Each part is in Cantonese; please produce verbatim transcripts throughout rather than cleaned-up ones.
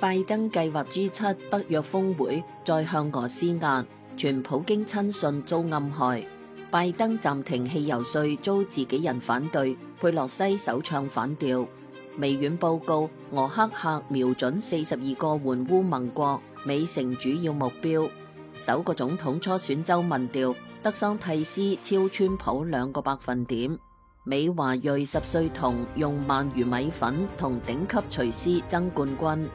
拜登計劃 G 七北約峰會再向俄施壓，傳普京親信遭暗害。拜登暫停汽油稅遭自己人反對，佩洛西首唱反調。微軟報告，俄黑客瞄準四十二個援烏盟國，美成主要目標。首個總統初選州民調，德桑蒂斯超川普兩個百分點。美華裔十歲童用鰻魚米粉同頂級廚師爭冠軍。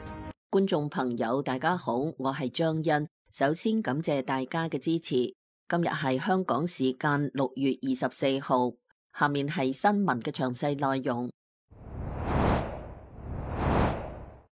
觀眾朋友大家好，我係張欣，首先感謝大家嘅支持。今日係香港時間六月二十四號，下面係新聞嘅詳細內容。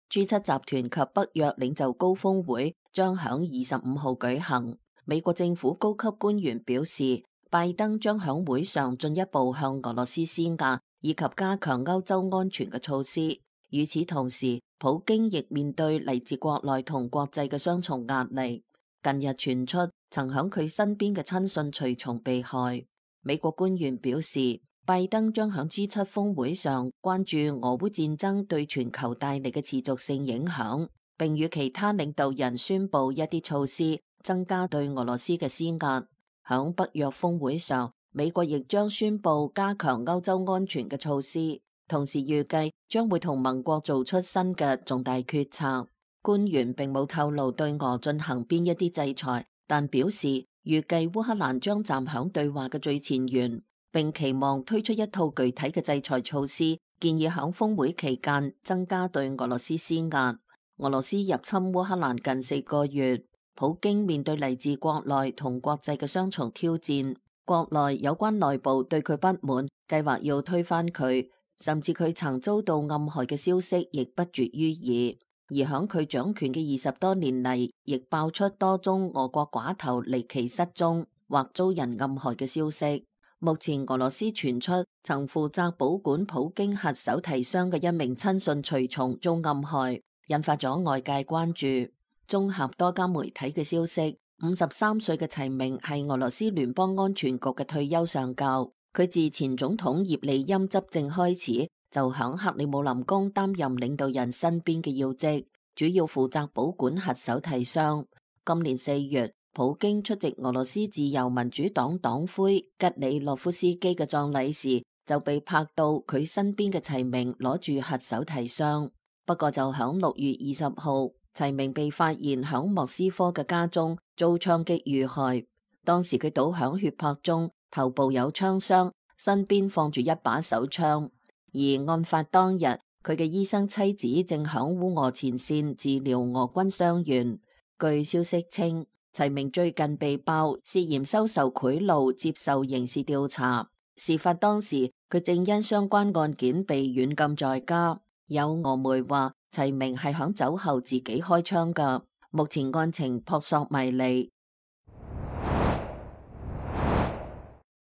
G 七集團及北約領袖高峰會將響二十五號舉行。美國政府高級官員表示，拜登將響會上進一步向俄羅斯施壓，以及加強歐洲安全嘅措施。與此同時，普京亦面對嚟自國內同國際嘅雙重壓力。近日傳出曾響佢身邊嘅親信隨從被害。美國官員表示，拜登將響 G 七峰會上關注俄烏戰爭對全球帶嚟嘅持續性影響，並與其他領導人宣布一啲措施，增加對俄羅斯嘅施壓。響北約峰會上，美國亦將宣布加強歐洲安全嘅措施。同時預計將會同盟國做出新嘅重大決策。官員並冇透露對俄進行邊一啲制裁，但表示預計烏克蘭將站響對話嘅最前沿，並期望推出一套具體嘅制裁措施，建議響峰會期間增加對俄羅斯施壓。俄羅斯入侵烏克蘭近四個月，普京面對嚟自國內同國際嘅雙重挑戰，國內有關內部對佢不滿，計劃要推翻佢。甚至佢曾遭到暗害嘅消息亦不絕於耳，而響佢掌權嘅二十多年嚟，亦爆出多宗俄國寡頭離奇失蹤或遭人暗害嘅消息。目前俄羅斯傳出曾負責保管普京核手提箱嘅一名親信隨從遭暗害，引發咗外界關注。綜合多家媒體嘅消息，五十三歲嘅齊明係俄羅斯聯邦安全局嘅退休上校。佢自前總統葉利欽執政開始，就響克里姆林宮擔任領導人身邊嘅要職，主要負責保管核手提箱。今年四月，普京出席俄羅斯自由民主黨黨魁吉里洛夫斯基嘅葬禮時，就被拍到佢身邊嘅齊明攞住核手提箱。不過就響六月二十號，齊明被發現響莫斯科嘅家中遭槍擊遇害，當時佢倒響血泊中，頭部有槍傷，身邊放住一把手槍。而案發當日，佢嘅醫生妻子正響烏俄前線治療俄軍傷員。據消息稱，齊明最近被爆涉嫌收受賄賂，接受刑事調查。事發當時，佢正因相關案件被軟禁在家。有俄媒話，齊明係響酒後自己開槍㗎。目前案情撲朔迷離。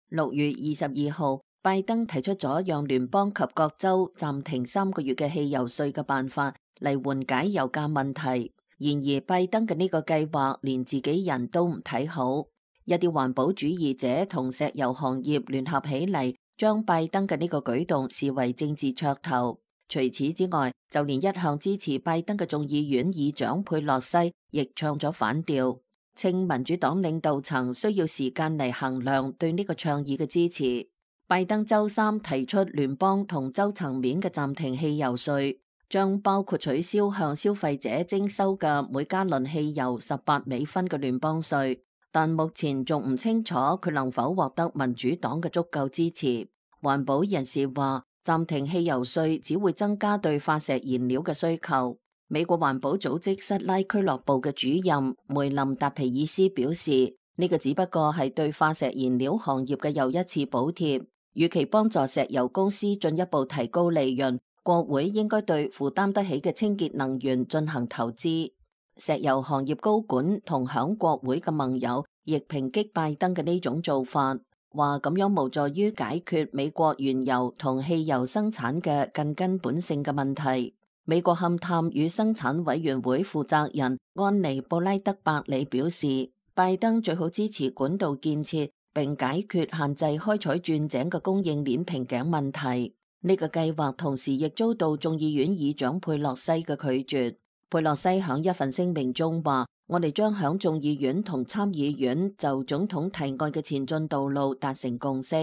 六月二十二號，拜登提出咗讓聯邦及各州暫停三個月嘅汽油稅嘅辦法嚟緩解油價問題。然而，拜登嘅呢個計劃連自己人都唔睇好，一啲環保主義者同石油行業聯合起嚟，將拜登嘅呢個舉動視為政治噱頭。除此之外，就連一向支持拜登嘅眾議院議長佩洛西亦唱咗反調，稱民主黨領導層需要時間嚟衡量對呢個倡議嘅支持。拜登周三提出聯邦同州層面嘅暫停汽油稅，將包括取消向消費者徵收嘅每加侖汽油十八美分嘅聯邦稅，但目前仲唔清楚佢能否獲得民主黨嘅足夠支持。環保人士話，暫停汽油稅只會增加對化石燃料嘅需求。美國環保組織塞拉俱樂部嘅主任梅林達皮爾斯表示，呢個只不過係對化石燃料行業嘅又一次補貼，與其幫助石油公司進一步提高利潤，國會應該對負擔得起嘅清潔能源進行投資。石油行業高管同響國會嘅盟友亦抨擊拜登嘅呢種做法，話咁樣無助於解決美國原油同汽油生產嘅更根本性嘅問題。美國勘探與生產委員會負責人安妮布拉德伯里表示，拜登最好支持管道建設，並解決限制開採鑽井嘅供應鏈瓶頸問題。呢個計劃同時亦遭到眾議院議長佩洛西嘅拒絕。佩洛西響一份聲明中話：我哋將響眾議院同參議院就總統提案嘅前進道路達成共識。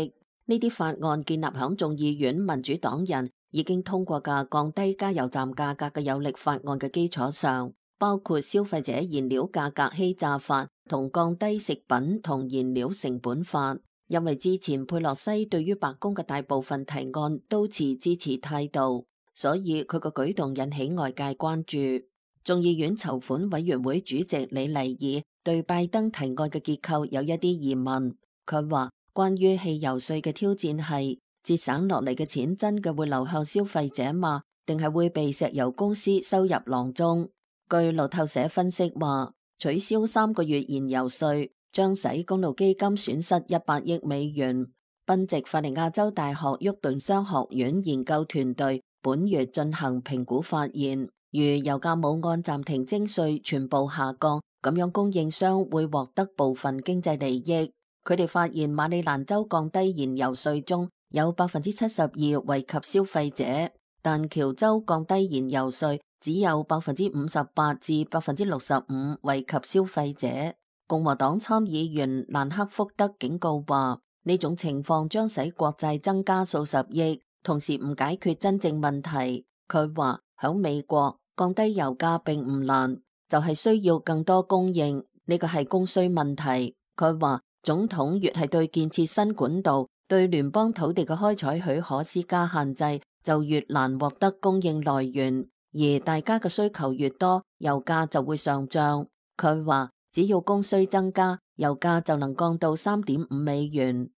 呢啲法案建立響眾議院民主黨人已經通過嘅降低加油站價格嘅有力法案嘅基礎上，包括消費者燃料價格欺詐法同降低食品同燃料成本法。因為之前佩洛西對於白宮嘅大部分提案都持支持態度，所以佢個舉動引起外界關注。眾議院籌款委員會主席李麗爾對拜登提案嘅結構有一啲疑問。佢話關於汽油稅嘅挑戰係節省落嚟嘅錢真嘅會流向消費者嗎？定係會被石油公司收入囊中？據路透社分析話，取消三個月燃油稅將使公路基金損失一百億美元。賓夕法尼亞州大學沃頓商學院研究團隊本月進行評估發現，如油價冇按暫停徵稅全部下降，咁樣供應商會獲得部分經濟利益。佢哋發現馬里蘭州降低燃油稅中有百分之七十二惠及消費者，但喬州降低燃油稅只有百分之五十八至百分之六十五惠及消費者。共和黨參議員蘭克福德警告話，呢種情況將使國債增加數十億，同時唔解決真正問題。佢話響美國降低油價並唔難，就係需要更多供應，呢個係供需問題。佢話總統越係對建設新管道、對聯邦土地嘅開採許可施加限制，就越難獲得供應來源，而大家嘅需求越多，油價就會上漲。佢話只要供需增加，油價就能降到三點五美元。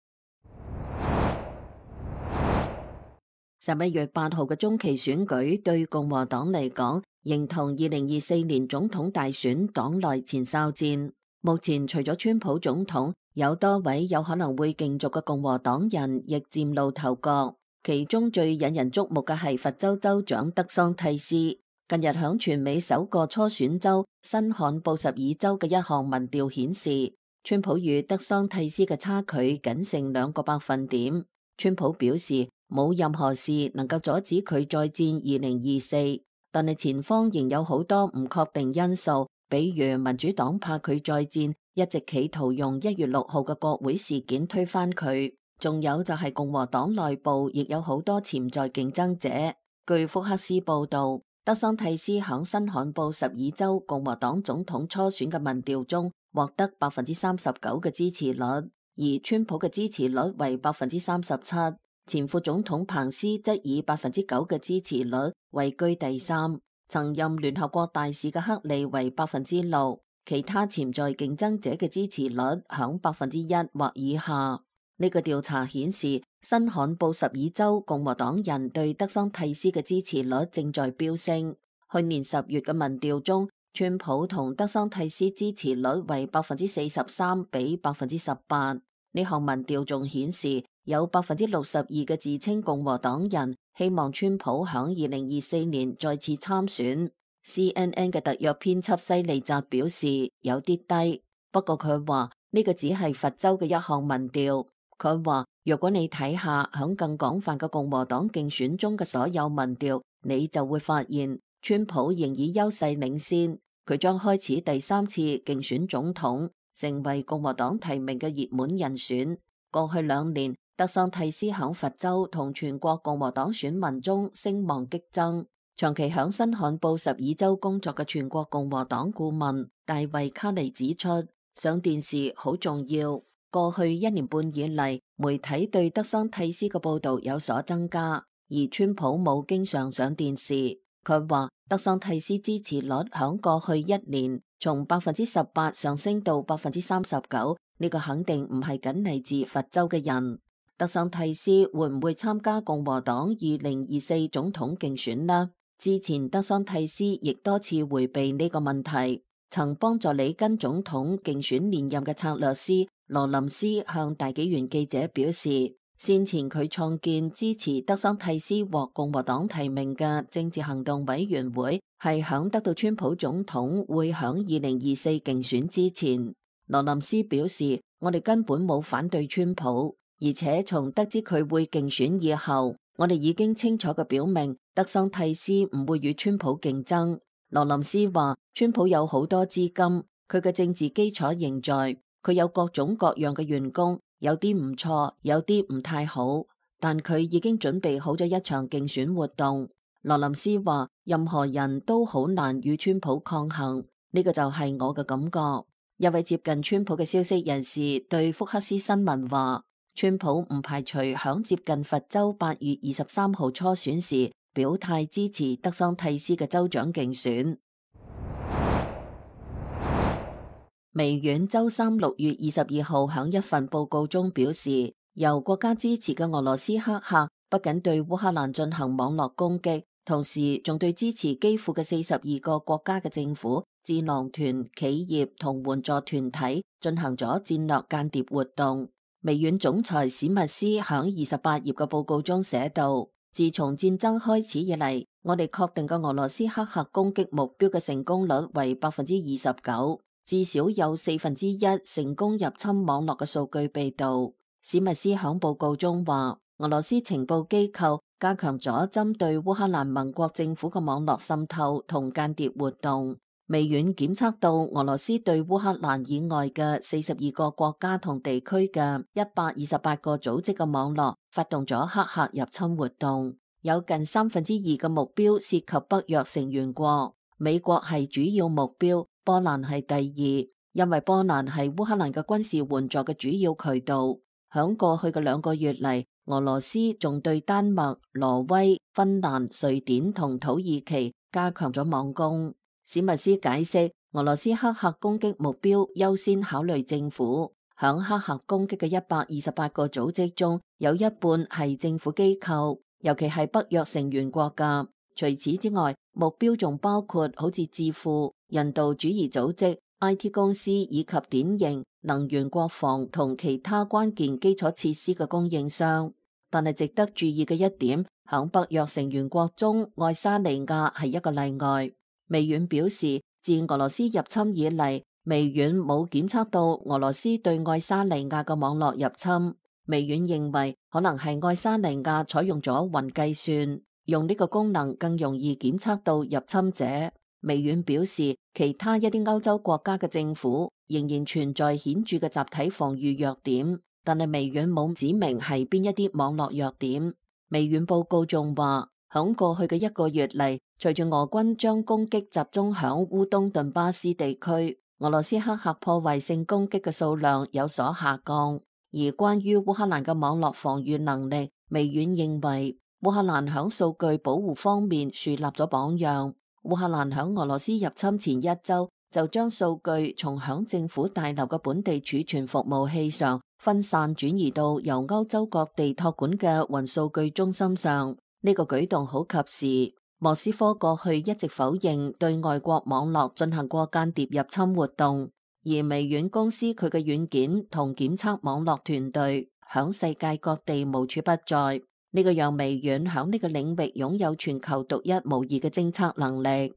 十一月八號嘅中期選舉對共和黨嚟講，形同二零二四年總統大選黨內前哨戰。目前除咗川普總統，有多位有可能會競逐嘅共和黨人亦嶄露頭角。其中最引人矚目嘅係佛州州長德桑蒂斯。近日響全美首個初選州新罕布什爾州嘅一項民調顯示，川普與德桑蒂斯嘅差距僅剩兩個百分點。川普表示冇任何事能夠阻止佢再戰二零二四，但係前方仍有好多唔確定因素，比如民主黨怕佢再戰，一直企圖用一月六號嘅國會事件推翻佢。仲有就係共和黨內部亦有好多潛在競爭者。據福克斯報道，德桑蒂斯響新罕布什爾州共和黨總統初選嘅民調中獲得百分之三十九嘅支持率，而川普嘅支持率為百分之三十七，前副總統彭斯則以百分之九嘅支持率位居第三，曾任聯合國大使嘅克利為百分之六，其他潛在競爭者嘅支持率響百分之一或以下。呢個調查顯示，新罕布什爾州共和黨人對德桑蒂斯嘅支持率正在飆升。去年十月嘅民調中，川普同德桑蒂斯支持率為百分之四十三比百分之十八。呢項民調仲顯示，有百分之六十二嘅自稱共和黨人希望川普響二零二四年再次參選。C N N 嘅特約編輯西利澤表示有啲低，不過佢話呢個只係佛州嘅一項民調。佢話如果你睇下響更廣泛嘅共和黨競選中嘅所有民調，你就會發現川普仍以優勢領先，佢將開始第三次競選總統，成為共和黨提名嘅熱門人選。過去兩年，德桑蒂斯響佛州同全國共和黨選民中聲望激增。長期響新罕布什爾州工作嘅全國共和黨顧問大衛卡尼指出，上電視好重要。過去一年半以嚟，媒體對德桑蒂斯嘅報道有所增加，而川普冇經常上電視。佢話德桑蒂斯支持率響過去一年從百分之十八上升到百分之三十九，呢個肯定唔係僅嚟自佛州嘅人。德桑蒂斯會唔會參加共和黨二零二四總統競選呢？之前德桑蒂斯亦多次回避呢個問題。曾幫助里根總統競選連任嘅策略師羅林斯向大紀元記者表示，先前佢創建支持德桑蒂斯獲共和黨提名嘅政治行動委員會，係響得到川普總統會響二零二四競選之前。羅林斯表示，我哋根本冇反對川普，而且從得知佢會競選以後，我哋已經清楚嘅表明德桑蒂斯唔會與川普競爭。羅林斯話，川普有好多資金，佢嘅政治基礎仍在，佢有各種各樣嘅員工，有啲唔錯，有啲唔太好，但佢已經準備好咗一場競選活動。羅林斯話，任何人都好難與川普抗衡，呢個就係我嘅感覺。一位接近川普嘅消息人士對福克斯新聞話，川普唔排除響接近佛州八月二十三號初選時表態支持德桑蒂斯嘅州長競選。微軟周三六月二十二號響一份報告中表示，由國家支持嘅俄羅斯黑客不僅對烏克蘭進行網絡攻擊，同時仲對支持基輔嘅四十二個國家嘅政府、智囊團、企業同援助團體進行咗戰略間諜活動。微軟總裁史密斯響二十八頁嘅報告中寫道，自從戰爭開始以嚟，我哋確定嘅俄羅斯黑客攻擊目標嘅成功率為百分之二十九，至少有四分之一成功入侵網絡嘅數據被盜。史密斯響報告中話，俄羅斯情報機構加強咗針對烏克蘭盟國政府嘅網絡滲透同間諜活動。微軟檢測到俄羅斯對烏克蘭以外嘅四十二個國家同地區嘅一百二十八個組織嘅網絡發動咗黑客入侵活動，有近三分之二嘅目標涉及北約成員國，美國係主要目標，波蘭係第二，因為波蘭係烏克蘭嘅軍事援助嘅主要渠道。響過去嘅兩個月嚟，俄羅斯仲對丹麥、挪威、芬蘭、瑞典同土耳其加強咗網攻。史密斯解釋，俄羅斯黑客攻擊目標優先考慮政府，響黑客攻擊嘅一百二十八個組織中，有一半係政府機構，尤其係北約成員國家。除此之外，目標仲包括好似智庫、人道主義組織、I T 公司以及典型能源、國防同其他關鍵基礎設施嘅供應商。但係值得注意嘅一點，響北約成員國中，愛沙尼亞係一個例外。微軟表示，自俄羅斯入侵以嚟，微軟冇檢測到俄羅斯對愛沙尼亞嘅網絡入侵。微軟認為可能係愛沙尼亞採用咗雲計算，用呢個功能更容易檢測到入侵者。微軟表示，其他一啲歐洲國家嘅政府仍然存在顯著嘅集體防禦弱點，但係微軟冇指明係邊一啲網絡弱點。微軟報告仲話，響過去嘅一個月嚟，隨住俄軍將攻擊集中響烏東頓巴斯地區，俄羅斯黑客破壞性攻擊嘅數量有所下降。而關於烏克蘭嘅網絡防禦能力，微軟認為烏克蘭響數據保護方面樹立咗榜樣。烏克蘭響俄羅斯入侵前一周就將數據從響政府大樓嘅本地儲存服務器上分散轉移到由歐洲各地託管嘅雲數據中心上。呢個舉動好及時。莫斯科過去一直否認對外國網絡進行過間諜入侵活動，而微軟公司佢嘅軟件同檢測網絡團隊響世界各地無處不在。呢個讓微軟響呢個領域擁有全球獨一無二嘅偵測能力。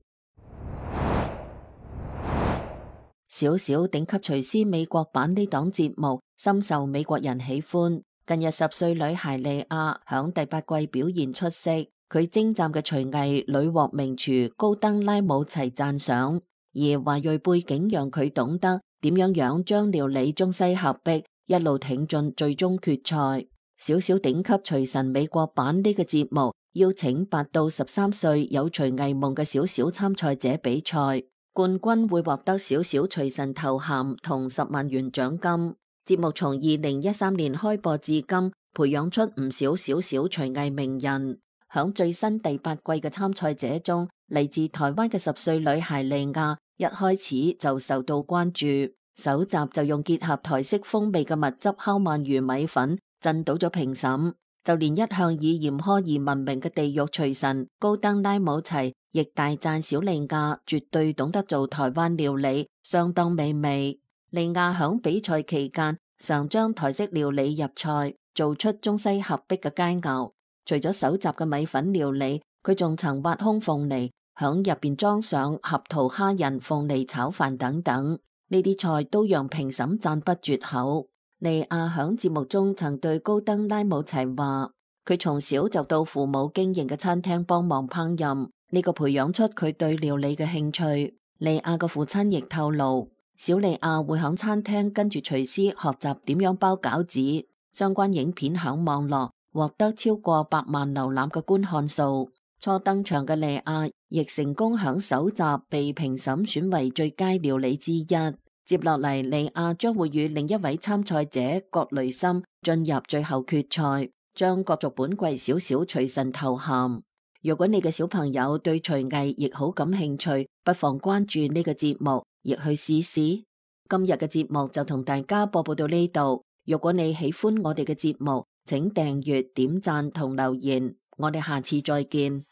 小小頂級廚師美國版呢檔節目深受美國人喜歡。近日十歲女孩莉亞響第八季表現出色，佢精湛嘅廚藝屢獲名廚高登拉姆齊讚賞，而華裔背景讓佢懂得點樣樣將料理中西合璧，一路挺進最終決賽。小小頂級廚神美國版呢個節目邀請八到十三歲有廚藝夢嘅小小參賽者比賽，冠軍會獲得小小廚神頭銜同十萬元獎金。節目從二零一三年開播至今，培養出唔少小小廚藝名人。響最新第八季嘅參賽者中，嚟自台灣嘅十歲女孩莉亞一開始就受到關注，首集就用結合台式風味嘅蜜汁烤鰻魚米粉震倒咗評審，就連一向以嚴苛而聞名嘅地獄廚神高登拉姆齊亦大讚小莉亞絕對懂得做台灣料理，相當美味。莉亞響比賽期間常將台式料理入菜，做出中西合璧嘅佳餚。除咗首集嘅米粉料理，佢仲曾挖空鳳梨，響入邊裝上合桃蝦仁鳳梨炒飯等等，呢啲菜都讓評審讚不絕口。莉亞響節目中曾對高登拉姆齊話，佢從小就到父母經營嘅餐廳幫忙烹飪，呢個培養出佢對料理嘅興趣。莉亞嘅父親亦透露，小莉亞會響餐廳跟住廚師學習點樣包餃子。相關影片響網絡獲得超過百萬瀏覽嘅觀看數。初登場嘅莉亞亦成功響首集被評審選為最佳料理之一。接落嚟，莉亞將會與另一位參賽者葛雷森進入最後決賽，將角逐本季小小廚神頭銜。如果你嘅小朋友對廚藝亦好感興趣，不妨關注呢個節目，亦去試試。今日嘅節目就同大家播報到呢度。如果你喜歡我哋嘅節目，請訂閱、點讚同留言。我哋下次再見。